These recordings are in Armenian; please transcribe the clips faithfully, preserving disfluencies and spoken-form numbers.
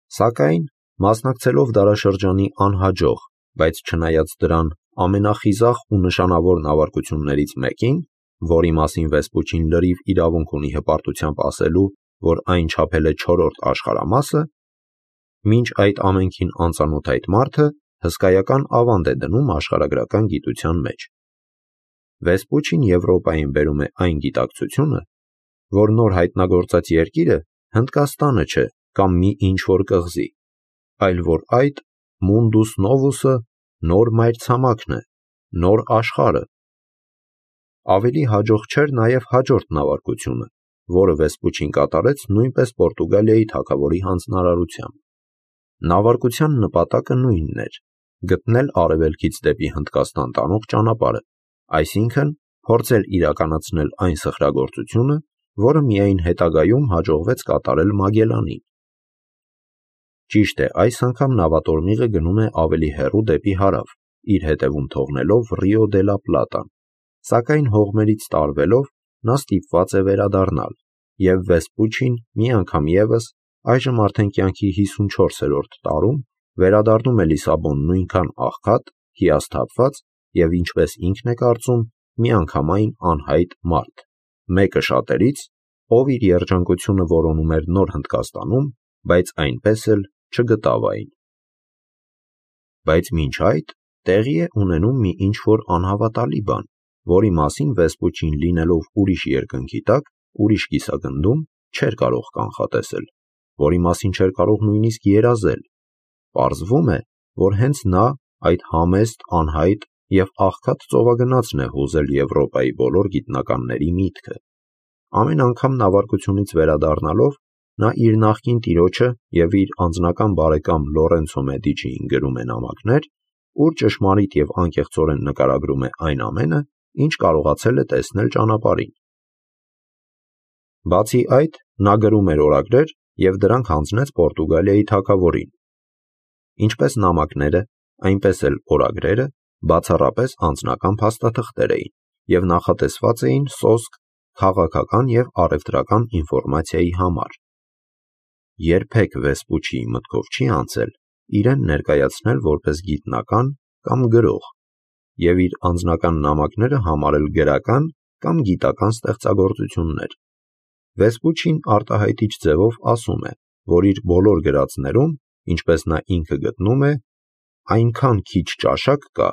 Սակայն, մասնակցելով դարաշրջանի անհաջող, բայց չնայած դրան ամենախիզախ ու նշանավոր նավարկություններից մեկին, որի մասին Վեսպուչին լրիվ իրավունք ունի հպարտությամբ ասելու, որ այն չափել է չորրորդ աշխարհամասը, մինչ այդ ամենքին անծանոթ այդ մարդը հսկայական ավանդ է դնում աշխարհագրական գիտության մեջ։ Վեսպուչին Եվրոպային բերում է այն գիտակցությունը, որ նոր հայտնագործած երկիրը Հնդկաստանը չէ կամ մի ինչ-որ կղզի, այլ որ այդ Mundus Novus-ը նոր մայրցամաքն է, նոր աշխարհը։ Ավելի հաջող չէր նաև հաջորդ նավարկությունը, որը Վեսպուչին կատարեց նույնպես Պորտուգալիայի թագավորի հանձնարարությամբ։ Նավարկության նպատակը նույնն էր՝ գտնել արևելքից դեպի Հնդկաստան տանող ճանապարհը, այսինքն փորձել իրականացնել այն սխրագործությունը, որը միայն հետագայում հաջողվեց կատարել Մագելլանին։ Ճիշտ է, այս անգամ նավատորմիղը գնում է ավելի հեռու դեպի հարավ, իր հետևում թողնելով Ռիո դե լա Պլատան, սակայն հողմերից տարվելով նա ստիպված է վերադառնալ, և Վեսպուչին մի անգամ ևս, այժմ արդեն կյանքի հիսունչորսերորդ տարում, վերադառնում է Լիսաբոն նույնքան աղքատ, հիասթափված և, ինչպես ինքն է կարծում, միանգամայն անհայտ մարդ, մեկը շատերից, ով իր երջանկությունը որոնում էր Նոր Հնդկաստանում, բայց այնպես էլ չգտավ այն։ Բայց մինչ այդ տեղի է ունենում մի ինչ-որ անհավատալի բան, որի մասին Վեսպուչին լինելով ուրիշ երկնքի տակ, ուրիշ կիսագնդում, չէր կարող կանխատեսել, որի մասին չէր կարող նույնիսկ երազել։ Պարզվում է, որ հենց նա այդ համեստ, անհայտ և աղքատ ծովագնացն է հուզել Եվրոպայի բոլոր գիտնականների միտքը։ Ամեն անգամ նավարկությունից վերադառնալով, նա իր նախկին տիրոջը և իր անձնական բարեկամ Լորենցո Մեդիչիին գրում է նամակներ, ուր ճշմարիտ և անկեղծորեն նկարագրում է այն ամենը, ինչ կարողացել է տեսնել ճանապարհին։ Բացի այդ, նա գրում էր օրագրեր և դրանք հանձնեց Պորտուգալիայի թագավորին։ Ինչպես նամակները, այնպես էլ օրագրերը բացառապես անձնական փաստաթղթեր էին և նախատեսված էին սոսկ քաղաքական և առևտրական ինֆորմացիայի համար։ Երբեք Վեսպուչիի մտքով չի անցել իրեն ներկայացնել որպես գիտնական կամ գրող և իր անձնական նամակները համարել գրական կամ գիտական ստեղծագործություններ։ Վեսպուչին արտահայտիչ ձևով ասում է, որ իր բոլոր գրածներում, ինչպես նա ինքը գտնում է, այնքան քիչ ճաշակ կա,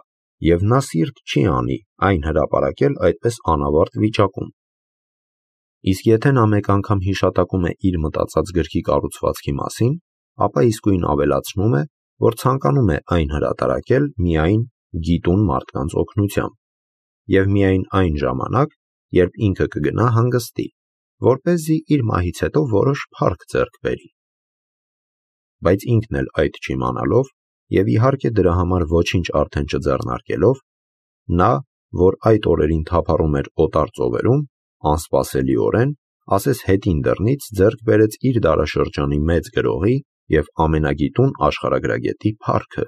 և նա սիրտ չի անի այն հրապարակել այդպես անավարտ վիճակում։ Իսկ եթե նա մեկ անգամ հիշատակում է իր մտածած գրքի կառուցվածքի մասին, ապա իսկույն ավելացնում է, որ ցանկանում է այն հրատարակել միայն գիտուն մարդկանց օգնությամբ և միայն այն ժամանակ, երբ ինքը կգնա հանգստի, որպեսզի իր մահից հետո որոշ փառք ձեռք բերի։ Բայց ինքն էլ այդ չիմանալով և իհարկե դրա համար ոչինչ արդեն չձեռնարկելով, նա, որ այդ օրերին թափառում էր օտար ծովերում, անսպասելիորեն, ասես հետին դռնից ձեռք բերեց իր դարաշրջանի մեծ գրողի և ամենագիտուն աշխարհագրագետի փառքը։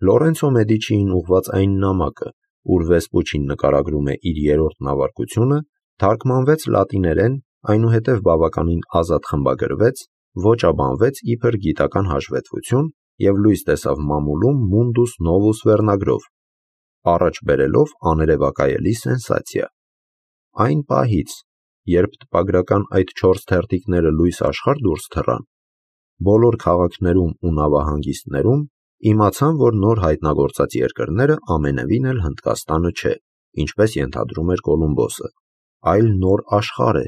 Լորենցո Մեդիչիին ուղղված այն նամակը, ուր Վեսպուչին նկարագրում է իր երրորդ նավարկությունը, թարգմանվեց լատիներեն, այնուհետև բավականին ազատ խմբագրվեց, ոճաբանվեց իբր գիտական հաշվետվություն և լույս տեսավ մամուլում Mundus Novus վերնագրով, առաջ բերելով աներևակայելի սենսացիա։ Այն պահից, երբ տպագրական այդ չորս թերթիկները լույս աշխարհ դուրս թռան, բոլոր քաղաքներում ու նավահանգիստներում իմացան, որ նոր հայտնագործած երկրները ամենևին էլ Հնդկաստանը չէ, ինչպես ենթադրում էր Կոլումբոսը, այլ նոր աշխարհ է,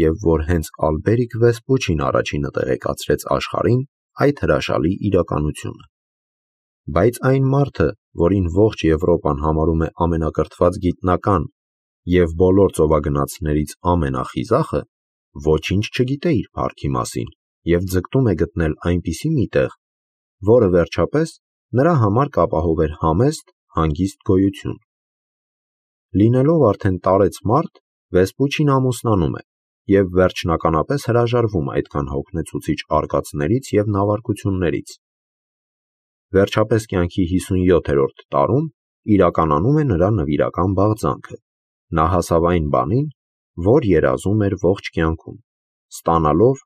և որ հենց Ալբերիկ Վեսպուչին առաջինը տեղեկացրեց աշխարհին այդ հրաշալի իրականությունը։ Բայց այն մարդը, որին ողջ Եվրոպան համարում է ամենակրթված գիտնական և բոլոր ծովագնացներից ամենախիզախը, ոչինչ չգիտե իր փառքի մասին և ձգտում է գտնել այնպիսի մի տեղ, որը վերջապես նրա համար կապահովեր համեստ, հանգիստ գոյություն։ Լինելով արդեն տարեց մարդ, Վեսպուչին ամուսնանում է և վերջնականապես հրաժարվում այդքան հոգնեցուցիչ արկածներից և նավարկություններից։ Վերջապես կյանքի հիսունյոթերորդ տարում իրականանում է նրա նվիրական բաղձանքը։ Նա հասավ այն բանին, որ երազում էր ողջ կյանքում, ստանալով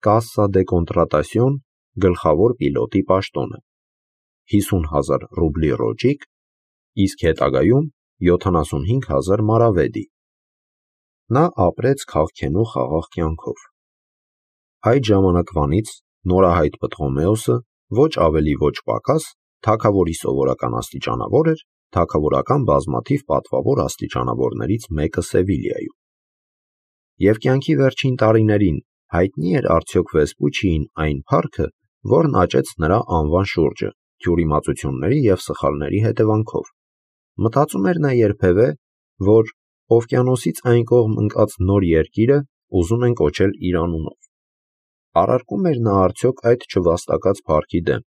Casa de Contratación գլխավոր պիլոտի պաշտոնը, հիսուն հազար ռուբլի ռոճիկ, իսկ հետագայում յոթանասունհինգ հազար մարավեդի։ Նա ապրեց քաղքենու խաղաղ կյանքով։ Այդ ժամանակվանից նորահայտ Պտղոմեոսը ոչ ավելի ոչ պակաս թագավորի սովորական աստիճանավոր էր թագավորական բազմաթիվ պատվավոր աստիճանավորներից մեկը Սևիլիայում։ Եվ կյանքի վերջին տարիներին հայտնի էր արդյոք Վեսպուչիին այն փառքը, որն աճեց նրա անվան շուրջը թյուրիմացությունների և սխալների հետևանքով։ Մտածում էր նա երբևէ, որ օվկիանոսից այն կողմ ընկած նոր երկիրը ուզում են կոչել իր անունով։ Առարկում էր նա արդյոք այդ չվաստակած փառքի դեմ,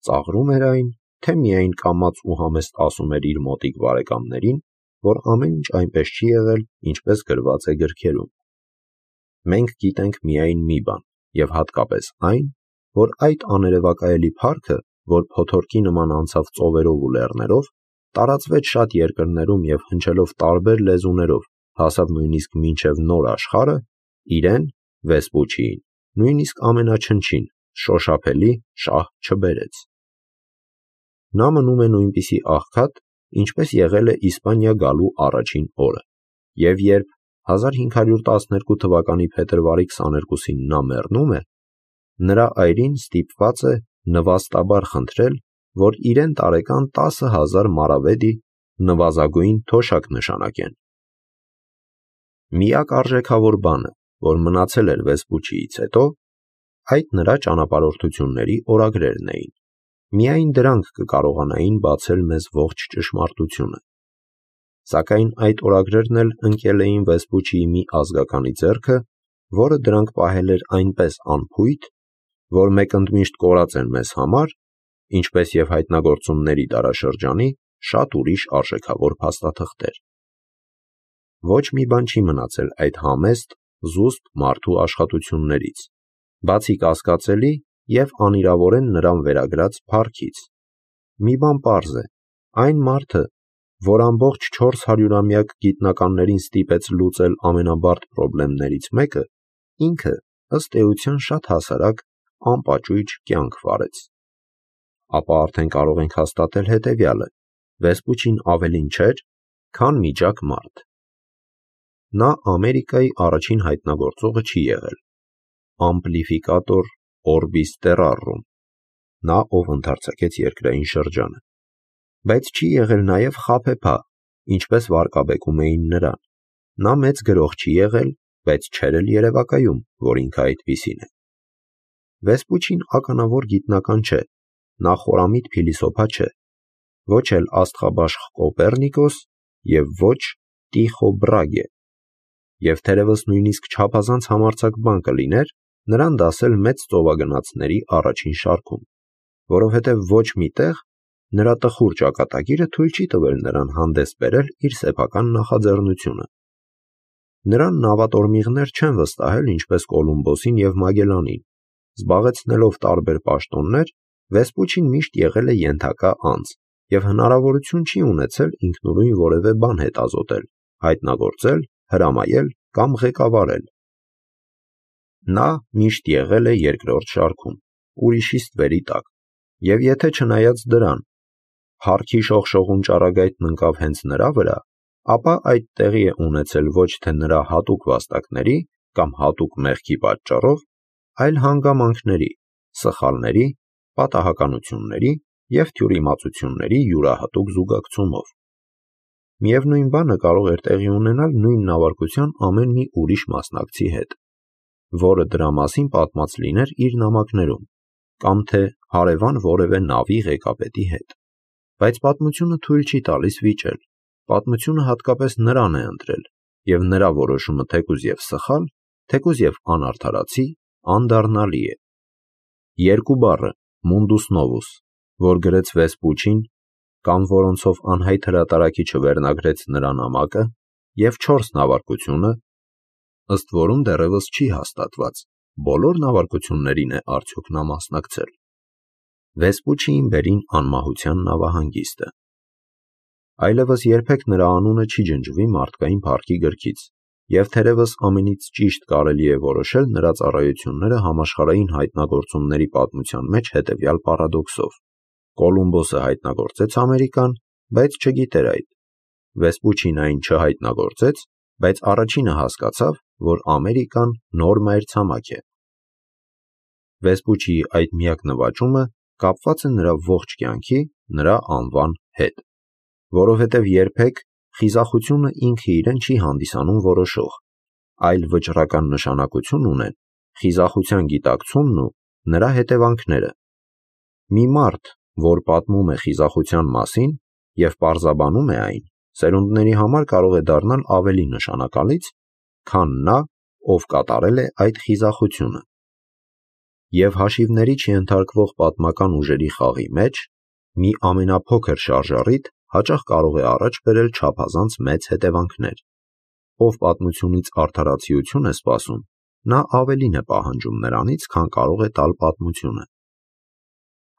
ծաղրում էր այն, թե միայն կամաց ու համեստ ասում էր իր մոտիկ բարեկամներին, որ ամեն ինչ այնպես չի եղել, ինչպես գրված է գրքերում։ Մենք գիտենք միայն մի բան, և հատկապես այն, որ այդ աներևակայելի փառքը, որ փոթորկի նման անցավ ծովերով ու լեռներով, տարածվեց շատ երկրներում և հնչելով տարբեր լեզուներով, հասավ նույնիսկ մինչև նոր աշխարհը, իրեն՝ Վեսպուչիին, նույնիսկ ամենաչնչին, շոշափելի շահ չբերեց։ Նա մնում է նույնպիսի աղքատ, ինչպես եղել է Իսպանիա գալու առաջին օրը, և երբ հազար հինգ հարյուր տասներկու թվականի փետրվարի քսաներկուսին նա մեռնում է, նրա այրին ստիպված է նվաստաբար խնդրել, որ իրեն տարեկան տասը հազար մարավեդի նվազագույն թոշակ նշանակեն։ Միակ արժեքավոր բանը, որ մնացել էր Վեսպուչիից հետո, այդ նրա ճանապարհորդությունների օրագրերն էին։ Միայն դրանք կկարողանային բացել մեզ ողջ ճշմարտությունը։ Սակայն այդ օրագրերն էլ ընկել էին Վեսպուչիի մի ազգականի ձեռքը, որը դրանք պահել էր այնպես անփույթ, որ մեկընդմիշտ կորած են մեզ համար, ինչպես և հայտնագործումների դարաշրջանի շատ ուրիշ արժեքավոր փաստաթղթեր։ Ոչ մի բան չի մնացել այդ համեստ, զուսպ մարդու աշխատություններից, բացի կասկածելի և անիրավորեն նրան վերագրած փառքից։ Մի բան պարզ է, այն մարդը, որ ամբողջ չորս հարյուրամյակ գիտնականներին ստիպեց լուծել ամենաբարդ պրոբլեմներից մեկը, ինքը, ըստ էության, շատ հասարակ, անպաճույճ կյանք վարեց։ Ապա արդեն կարող ենք հաստատել հետևյալը. Վեսպուչին ավելին չէր, քան միջակ մարդ։ Նա Ամերիկայի առաջին հայտնագործողը չի եղել, ամպլիֆիկատոր օրբիս տերրարում, նա, ով ընդարձակեց երկրային շրջանը, բայց չի եղել նաև խաբեբա, ինչպես վարկաբեկում էին նրան։ Նա մեծ գրող չի եղել, բայց չէր էլ երևակայում, որ ինքը այդպիսին է։ Վեսպուչին ականավոր գիտնական չէ, նա խորամիտ փիլիսոփա չէ, ոչ էլ աստղաբաշխ Կոպեռնիկոս և ոչ Տիխո Բրագե, և թերևս նույնիսկ չափազանց համարձակ բան կլիներ նրան դասել մեծ ծովագնացների առաջին շարքում, որովհետև ոչ մի տեղ նրա տխուր ճակատագիրը թույլ չի տվել նրան հանդես բերել իր սեփական նախաձեռնությունը։ Նրան նավատորմիղներ չեն վստահել ինչպես Կոլումբոսին և Մագելլանին, զբաղեցնելով տարբեր պաշտոններ, Վեսպուչին միշտ եղել է ենթակա անձ և հնարավորություն չի ունեցել ինքնուրույն որևէ բան հետազոտել, հայտնագործել, հրամայել կամ ղեկավարել։ Նա միշտ եղել է երկրորդ շարքում, ուրիշի ստվերի տակ, և եթե չնայած դրան, փառքի շողշողուն ճառագայթն ընկավ հենց նրա վրա, ապա այդ տեղի է ունեցել ոչ թե նրա հատուկ վաստակների կամ հատուկ մեղքի պատճառով, այլ հանգամանքների, սխալների, պատահականությունների և թյուրիմացությունների յուրահատուկ զուգակցումով։ Միևնույն բանը կարող էր տեղի ունենալ նույն նավարկության ամեն մի ուրիշ մասնակցի հետ, որը դրա մասին պատմած լիներ իր նամակներում, կամ թե հարևան որևէ նավի ղեկավարի հետ։ Բայց պատմությունը թույլ չի տալիս վիճել, պատմությունը հատկապես նրան է ընտրել, և նրա որոշումը թեկուզ և սխալ, թեկուզ և անարդարացի, անդառնալի է։ Երկու բառը Mundus Novus, որ գրեց Վեսպուչին, կամ որոնցով անհայտ հրատարակիչը վերնագրեց նրա նամակը, և չորս նավարկությունը, ըստ որում դեռևս չի հաստատված, բոլոր նավարկություններին է արդյոք նա մասնակցել։ Վեսպուչիին բերին անմահության նավահանգիստը։ Այլևս երբեք նրա անունը չի ջնջվի մարդկային փառքի գրքից, Եվ թերևս ամենից ճիշտ կարելի է որոշել նրա ծառայությունները համաշխարհային հայտնագործումների պատմության մեջ հետևյալ պարադոքսով. Կոլումբոսը հայտնագործեց Ամերիկան, բայց չգիտեր այդ։ Վեսպուչին այն չհայտնագործեց, բայց առաջինը հասկացավ, որ Ամերիկան նոր մայրցամաք է։ Վեսպուչիի այդ միակ նվաճումը կապված է նրա ողջ կյանքի, նրա անվան հետ, որովհետև երբեք խիզախությունը ինքը իրեն չի հանդիսանում որոշող, այլ վճռական նշանակություն ունեն խիզախության գիտակցումն ու նրա հետևանքները։ Մի մարդ, որ պատմում է խիզախության մասին և պարզաբանում է այն, սերունդների համար կարող է դառնալ ավելի նշանակալից, քան նա, ով կատարել է այդ խիզախությունը։ Եվ հաշիվների չենթարկվող պատմական ուժերի խաղի մեջ մի ամենափոքր շարժառիթ հաճախ կարող է առաջ բերել չափազանց մեծ հետևանքներ։ Ով պատմությունից արդարացիություն է սպասում, նա ավելին է պահանջում նրանից, քան կարող է տալ պատմությունը։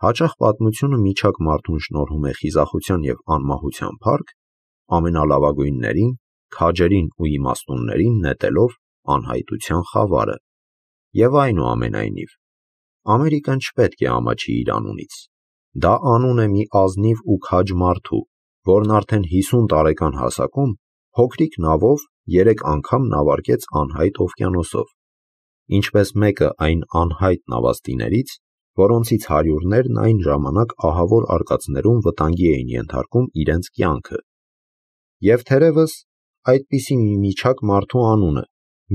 Հաճախ պատմությունը միջակ մարդուն շնորհում է խիզախության և անմահության փառք, ամենալավագույններին, քաջերին ու իմաստուններին նետելով անհայտության խավարը։ Եվ այնուամենայնիվ, Ամերիկան չպետք է ամաչի իր անունից։ Դա անուն է մի ազնիվ ու քաջ մարդու, որն արդեն հիսուն տարեկան հասակում փոքրիկ նավով երեք անգամ նավարկեց անհայտ օվկիանոսով, ինչպես մեկը այն անհայտ նավաստիներից, որոնցից հարյուրներն այն ժամանակ ահավոր արկածներում վտանգի էին ենթարկում իրենց կյանքը։ Եվ թերևս այդպիսի մի միջակ մարդու անունը,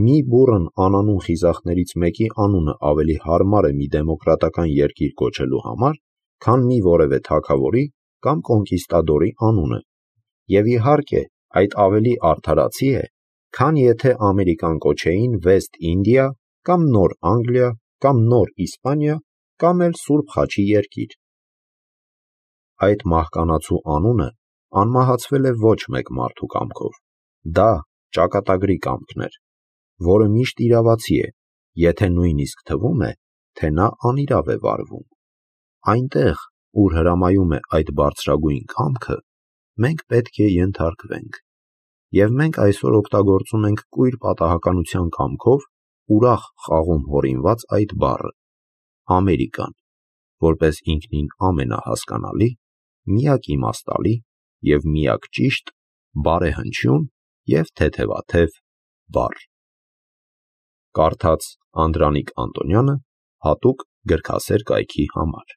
մի բուռն անանուն խիզախներից մեկի անունը ավելի հարմար է մի դեմոկրատական երկիր կոչելու համար, քան մի որևէ թագավորի կամ կոնկիստադորի անունը, և իհարկե այդ ավելի արդարացի է, քան եթե Ամերիկան կոչեին Վեստ Ինդիա կամ Նոր Անգլիա կամ Նոր Իսպանիա կամ էլ Սուրբ Խաչի երկիր։ Այդ մահկանացու անունը անմահացվել է ոչ մեկ մարդու կամքով, դա ճակատագրի կամքն էր, որը միշտ իրավացի է, եթե նույնիսկ թվում է, թե նա անիրավ է վարվում։ Այնտեղ, ուր հրամայում է այդ բարձրագույն կամքը, մենք պետք է ենթարկվենք։ Եվ մենք այսօր օգտագործում ենք կույր պատահականության կամքով ուրախ խաղում հորինված այդ բառը՝ Ամերիկան, որպես ինքնին ամենահասկանալի, միակ իմաստալի և միակ ճիշտ, բարեհնչյուն և թեթևաթև բառ։ Կարդաց Անդրանիկ Անտոնյանը հատուկ գրքասեր կայքի համար։